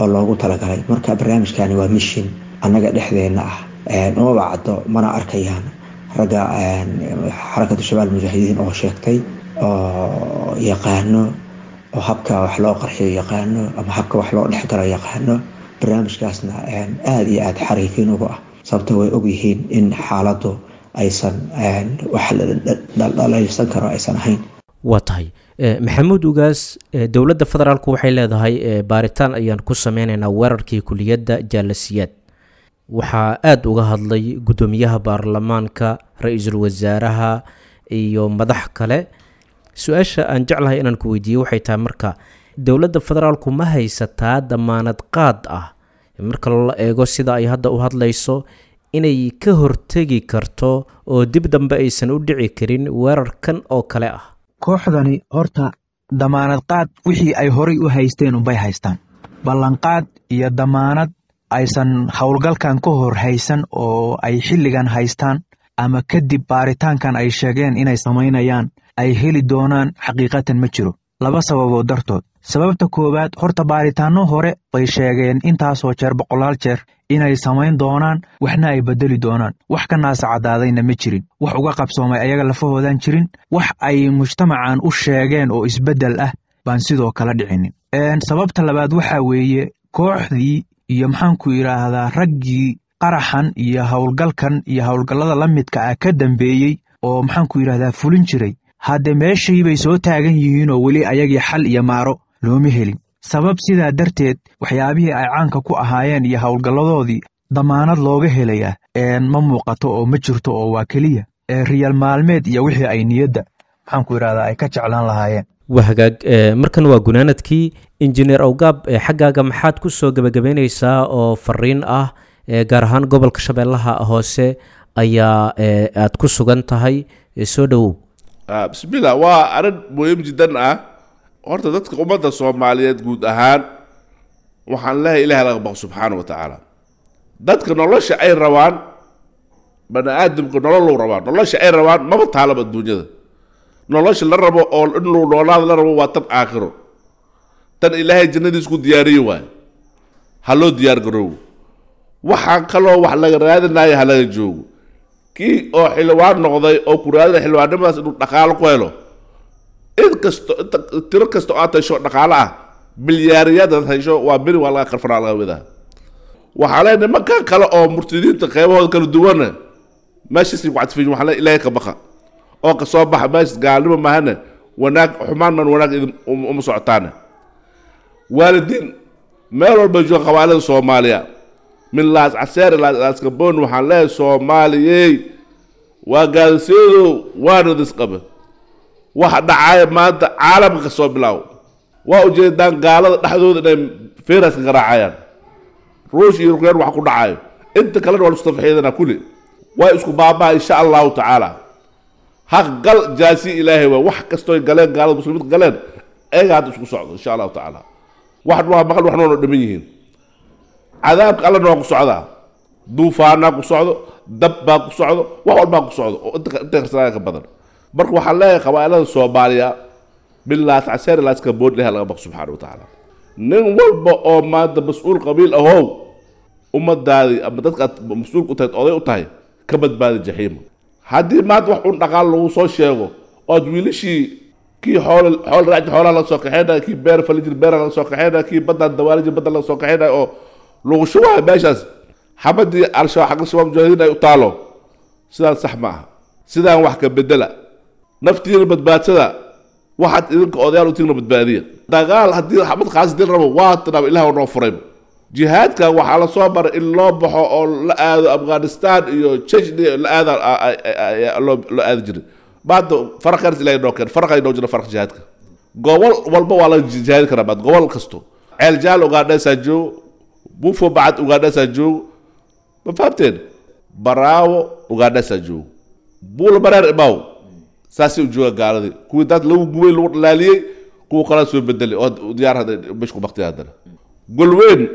oo loogu talagalay. Marka barnaamijkani waa mishin annaga dhexdeena ah, umaba caddo mana arkayaan ragga Xarakatu Shabaab Mujaahidiin oo sheegtay oo yaqaano oo habka wax loo qarxiyo yaqaano ama habka wax loo dhexgalo yaqaano, barnaamijkaasna aada iyo aada xariifiin uga ah, sababto way ogyihiin in xaaladdu aysan wax dhaldhalaysan karo aysan ahayn. Waa tahay, Maxamuud Ugaas, dowladda federaalku waxay leedahay baaritaan ayaan ku sameynaynaa weerarkii kuliyadda Jaalasiyaad. Waxaa aada uga hadlay guddoomiyaha baarlamaanka, ra-iisul wasaaraha iyo madax kale. Su-aasha aan jeclahay inaan ku weydiiyo waxay tahay, marka dowladda federaalku ma haysataa damaanad qaad ah, marka la eego sida ay hadda u hadlayso, inay ka hortegi karto oo dib dambe aysan u dhici karin weerarkan oo kale ah? Kooxdani horta damaanad qaad wixii ay horay u haysteen unbay haystaan. Ballanqaad iyo damaanad aysan howlgalkan ka hor haysan oo ay xilligan haystaan ama kadib baaritaankan ay sheegeen inay samaynayaan ay heli doonaan xaqiiqatan ma jiro, laba sababood dartood. Sababta koowaad, horta baaritaanno hore bay sheegeen intaasoo jeer, boqolaal jeer, inay samayn doonaan waxna ay bedeli doonaan. Wax ka naasa caddaadayna ma jirin, wax uga qabsoomay ayaga lafahoodan jirin, wax ay mujtamacan u sheegeen oo isbeddel ah baan sidoo kale dhicinin. Sababta labaad waxaa weeye kooxdii iyo maxaanku yidhaahdaa raggii qaraxan iyo howlgalkan iyo howlgallada la midka ah ka dambeeyey oo maxaanku yidhahdaa fulin jiray, hadde meeshii bay soo taagan yihiinoo weli ayagii xal iyo maaro looma helin. Sabab sidaa darteed waxyaabihii ay caanka ku ahaayeen iyo howlgalladoodii damaanad looga helayaa ma muuqato oo ma jirto, oo waa keliya riyal maalmeed iyo wixii ay niyadda maxaanku yidhahdaa ay ka jeclaan lahaayeen. Waa hagaag, markan waa gunaanadkii. Injineer Awgaab, xaggaaga maxaad ku soo gebagabeynaysaa oo fariin ah? Gaar ahaan gobolka Shabeellaha Hoose ayaa aad ku sugan tahay, soo dhowow. Bismillah, waa arrin muhiim jiddan ah. Horta dadka ummadda Soomaaliyeed guud ahaan waxaan leehay, Ilahi laga baqo subxaana wa tacaala. Dadka nolosha ay rabaan, bani aadamka nololou rabaa, nolosha ay rabaan maba taalaba adduunyada. Nolosha la rabo oo in luu noolaada la rabo waa tan aakhiro, tan Ilaahay jannadiis ku diyaariye waayo. Ha loo diyaar garoobo, waxaan kaloo wax laga raadinayo ha laga joogo. Kii oo xildhibaan noqday oo ku raadinaya xildhibaannimadaas inuu dhaqaalo ku helo, in kasto inta tiro kasta oo aad hesho dhaqaalo ah, bilyaariyaad aad hesho, waa beri waa laga qarfanaa laga wadaa. Waxaa leeyahay nimankan kale oo murtadiinta qeybahooda kala duwana meeshaasay ku cadfiyin, waxaa leeyahay Ilaahay ka baqa oo ka soo baxa meeshas. Gaalnimo maahane wanaag, xumaan man wanaag idin uma socotaane. Waalidiin meel walba jooga qabaalada Soomaaliya min Laas Caseer ilaa Laas Gaboon, waxaan leeyahay Soomaaliyey, waa gaadasiyadu waana disqabe. Waxa dhacaya maanta caalamka ka soo bilaawo waa ujeedaan gaalada dhexdooda inay fayraska garaacayaan, Ruush iyo Ukraine wax ku dhacayo, inta kalena waa laisku tafaxiidana, kulli waa isku baabaa insha Allahu tacaala. Haq gal jaasi Ilaahay waa wax kastoo galeen gaalada muslimiinta galeen, ayaga hadda isku socdo insha Allahu tacaala. Wax waa maqal, waxna waa dhiman yihiin. Cadaabka Allana waa ku socdaa, duufaanaa ku socdo, dab baa ku socdo, wax walbaa ku socdo oo inta qarsanaya ka badan. Marka waxaan leeyahay qabaa'ilada Soomaaliya bilaas Caseer ilaas Kabood, Ilahay laga baqo subxaana wa tacaala. Nin walba oo maanta mas-uul qabiil ahow, ummadaadii ama dadka aad mas-uulka u tahay, oday u tahay, ka badbaadi jaxiima. Haddii maanta wax un dhaqaal lagu soo sheego ood wiilashii kii xool xool raaci xoolaha laga soo kaxeynaya, kii beer fali jir beera laga soo kaxeynaya, kii baddaan dawaali jir badda laga soo kaxeynaya oo lagu shubayo meeshaas xabadii Al-Shabaab, xagga Shabaab mujaahidiin ay u taalo, sidaan sax ma aha. Sidaan wax ka bedela, naftiina badbaadsada, waxaad idinka odayaal utiina badbaadiya. Dagaal haddii xabad qaas dil rabo waa tanaaba Ilaah noo furay. Jihaadka waxaa la soo maray in loo baxo oo la aado Afghanistan iyo Chechnya, la aada loo aadi jiray. Maanta faraqaas Ilahay noo keen, faraqay noo jira faraq. Jihaadka gobol walba waa la jihaadi karaa maanta, gobol kasto. Ceel Jaal Ugaadheesaa joogo, Buufo Bacad Ugaadheesaa joogo, ma fahamteen? Baraawo Ugaadheesaa joogo, Buula Mareer imaw saasay u jooga gaaladii, kuwii dad lagu gubay lagu dhalaaliyey, kuwa kalaa soo bedelay oo diyaar hadda meesha ku baktiya. Haddana Golweyn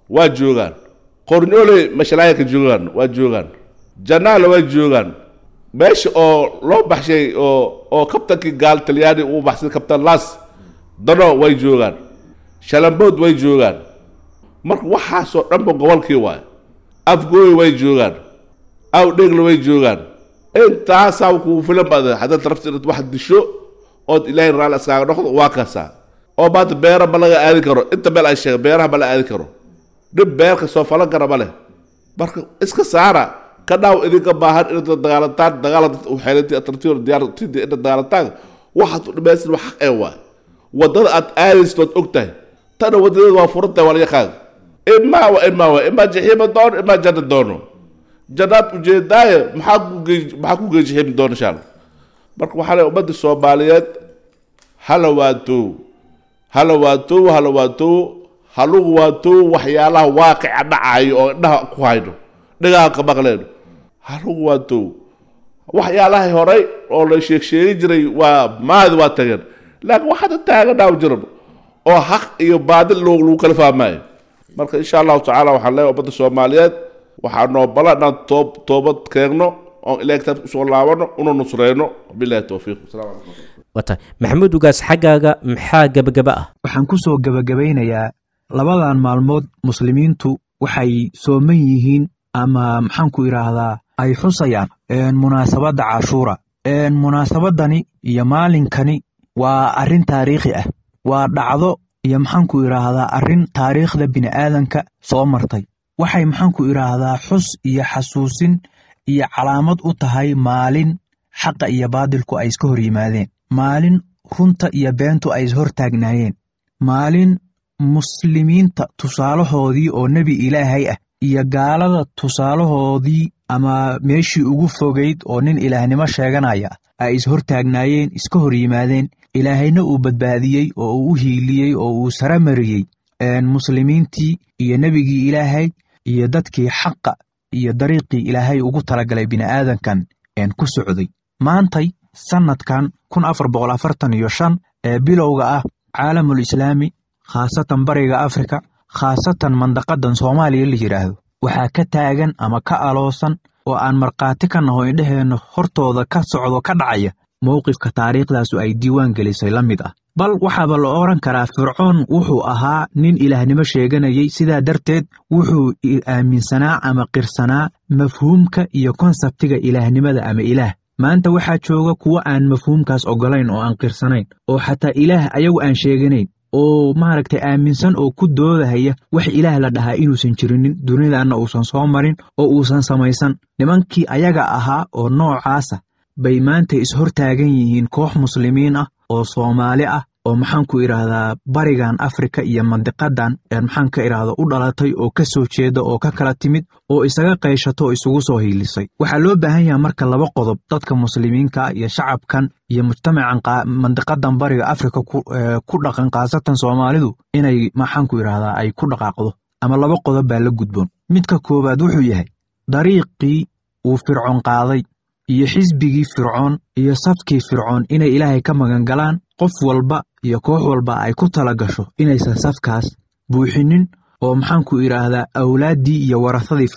waa joogaan, Qornyooley mashalaayaka joogaan, waa joogaan, Janaale waa joogaan, meesha oo loo baxshay oo kabtankii gaal Talyaani uu baxsay, kabtan Las Dano, way joogaan, Shalambood way joogaan. Marka waxaasoo dhanba gobolkii waayo. Afgooy way joogaan, Awdheegle way joogaan. Intaasaa kugu filan baad haddaad rabta inaad wax disho ood Ilaahay raalli iskaaga noqdo. Waa kaasaa oo maanta beera ma laga aadi karo, inta meel ay sheegay beeraha ma la aadi karo, dhib beerka soo falan kara ma leh. Marka iska saara ka dhaaw idinka baahan inaad la dagaalantaan, dagaala xeelantii atartiyo diyaartidi inaad dagaalantaan. Waxaad u dhamaysid wax xaq ee waay, waddada aad aadaysid waad og tahay, tana wadadeeda waa furan tahay, waa la yaqaan. Imaa wa imaa wa imaa jaxiima doono, imaa janna doono, jannaad ujeedaaye maxaa ku gey jaxiim doono insha Allah. Marka waxaa leeyahay ummadda Soomaaliyeed hala waatow, hala waatow, hala waatow, halugu waatow waxyaalaha waaqica dhacayo oo indhaha ku hayno, dhagaha ka maqleyno, halugu waatow. Waxyaalaha horay oo la sheeg sheegi jiray waa maadi, waa tageen, laakiin waxaada taaganaa jiran oo xaq iyo baadil lagu kala fahmaayo. Marka insha Allahu tacaala waxaan leeyahay ummadda Soomaaliyeed waxaa noo bala inaan toobad keegno oon Ilahay kitaabka usoo laabano una nusreyno. Billahi towfiiq, wasalaamu calaykum. Waa tahay Maxamuud Ugaas, xaggaaga maxaa gebagaba ah? Waxaan ku soo gebagabaynayaa labadan maalmood muslimiintu waxay sooman yihiin ama maxaan ku idhaahdaa ay xusayaan munaasabadda Cashuura. Munaasabadani iyo maalinkani waa arrin taariikhi ah, waa dhacdo iyo maxaan ku idhaahdaa arrin taariikhda bini'aadanka soo martay. Waxay maxaan ku idhaahdaa xus iyo xasuusin iyo calaamad u tahay maalin xaqa iyo baadilku ay iska hor yimaadeen, maalin runta iyo beentu ay ishortaagnaayeen, maalin muslimiinta tusaalahoodii oo nebi Ilaahay ah iyo gaalada tusaalahoodii ama meeshii ugu fogayd oo nin ilaahnimo sheeganaya ay ishortaagnaayeen, iska hor yimaadeen, Ilaahayna uu badbaadiyey oo uu u hiiliyey oo uu sara mariyey muslimiintii iyo nebigii Ilaahay iyo dadkii xaqa iyo dariiqii Ilaahay ugu talagalay bini'aadankan ku socday. Maantay sannadkan 1445 ee bilowga ah caalamul islaami, khaasatan bariga Afrika, khaasatan mandaqadan Soomaaliya la yidhaahdo, waxaa ka taagan ama ka aloosan oo aan markhaati ka naho indheheenna hortooda ka socdo ka dhacaya mowqifka taariikhdaasu ay diiwaan gelisay la mid ah. Bal waxaaba la odhan karaa Fircoon wuxuu ahaa nin ilaahnimo sheeganayay, sidaa darteed wuxuu aaminsanaa ama qirsanaa mafhuumka iyo konsabtiga ilaahnimada ama ilaah. Maanta waxaa jooga kuwo aan mafhuumkaas oggolayn oo aan qirsanayn oo xataa ilaah ayagu aan sheeganayn oo maaragtay aaminsan oo ku doodahaya wax ilaah la dhahaa inuusan jirinin, dunidaanna uusan soo marin oo uusan samaysan. Nimankii ayaga ahaa oo noocaasa bay maanta ishortaagan yihiin koox muslimiin ah oo Soomaali ah. oo maxaan ku idhaahdaa barigan Afrika iyo mandiqadan maxaan ka idhaahda u dhalatay oo ka soo jeeda oo ka kala timid oo isaga qayshato oo isugu soo hiilisay. Waxaa loo baahan yahay marka laba qodob dadka muslimiinka iyo shacabkan iyo mujtamacan mandiqadan bariga Afrika ku dhaqan, khaasatan Soomaalidu, inay maxaan ku idhaahdaa ay ku dhaqaaqdo, ama laba qodob baa la gudboon. Midka koowaad wuxuu yahay dariiqii uu Fircoon qaaday iyo xisbigii Fircoon iyo safkii Fircoon inay Ilaahay ka magangalaan, qof walba iyo koox walba ay ku tala gasho inaysan safkaas buuxinin, oo maxaan ku idhaahdaa awlaaddii iyo warasadii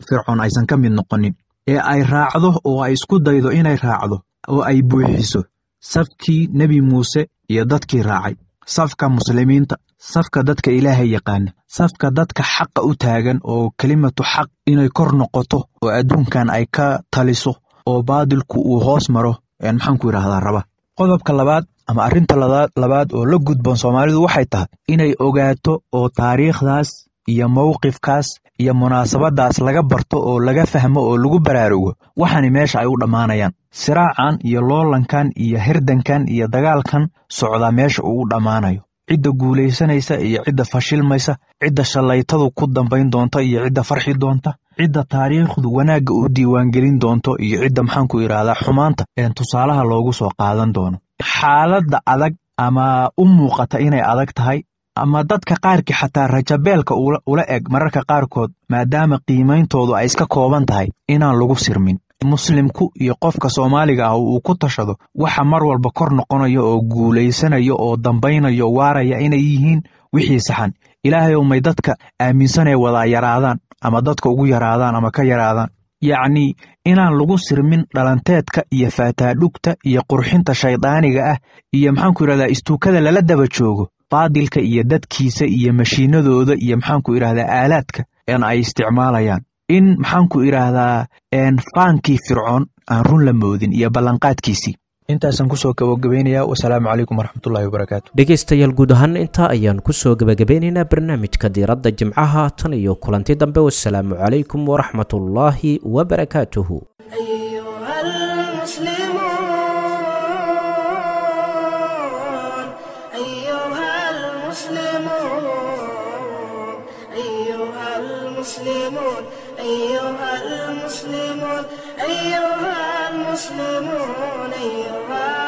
Fircoon aysan ka mid noqonin, ee ay raacdo oo ay isku daydo inay raacdo oo ay buuxiso safkii Nebi Muuse iyo dadkii raacay, safka muslimiinta, safka dadka Ilaahay yaqaana, safka dadka xaqa u taagan oo kelimatu xaq inay kor noqoto oo adduunkan ay ka taliso oo baadilku uu hoos maro maxaan ku idhaahdaa raba. Qodobka labaad ama arrinta labaad oo la gudboon Soomaalidu waxay tahay inay ogaato oo taariikhdaas iyo mowqifkaas iyo munaasabadaas laga barto oo laga fahmo oo lagu baraarugo waxaani meesha ay u dhammaanayaan, siraacan iyo loolankan iyo hirdankan iyo dagaalkan socdaa meesha uu u dhammaanayo, cidda guulaysanaysa iyo cidda fashilmaysa, cidda shallaytadu ku dambayn doonta iyo cidda farxi doonta, cidda taariikhdu wanaagga u diiwaangelin doonto iyo cidda maxaan ku idhaahdaa xumaanta tusaalaha loogu soo qaadan doono. Xaaladda adag ama u muuqata inay adag tahay ama dadka qaarkii xataa rajabeelka ula eg mararka qaarkood, maadaama qiimayntoodu ay iska kooban tahay, inaan lagu sirmin. Muslimku iyo qofka Soomaaliga ah uu ku tashado waxa mar walba kor noqonaya oo guulaysanaya oo dambaynaya oo waaraya inay yihiin wixii saxan. Ilaahay may dadka aaminsanee wadaa yaraadaan ama dadka ugu yaraadaan ama ka yaraadaan. Yacnii inaan lagu sirmin dhalanteedka iyo faataadhugta iyo qurxinta shaydaaniga ah iyo maxaanku idhahdaa istuukada lala daba joogo baadilka iyo dadkiisa iyo mashiinadooda iyo maxaanku idhahdaa aalaadka en ay isticmaalayaan, in maxaanku idhaahdaa faankii Fircoon aan run la moodin iyo ballanqaadkiisii. Intaasaan kusoo gabagabaynayaa. Wasalaamu calaykum waraxmatullahi wabarakaatu. Dhegaystayaal, guud ahaan intaa ayaan kusoo gebagabeynaynaa barnaamijka diiradda jimcaha. Tan iyo kulanti dambe, wasalaamu calaykum waraxmatullaahi wabarakaatuhu. أيها المسلمون، أيها المسلمون، أيها المسلمون، أيها المسلمون، أيها المسلمون، أيها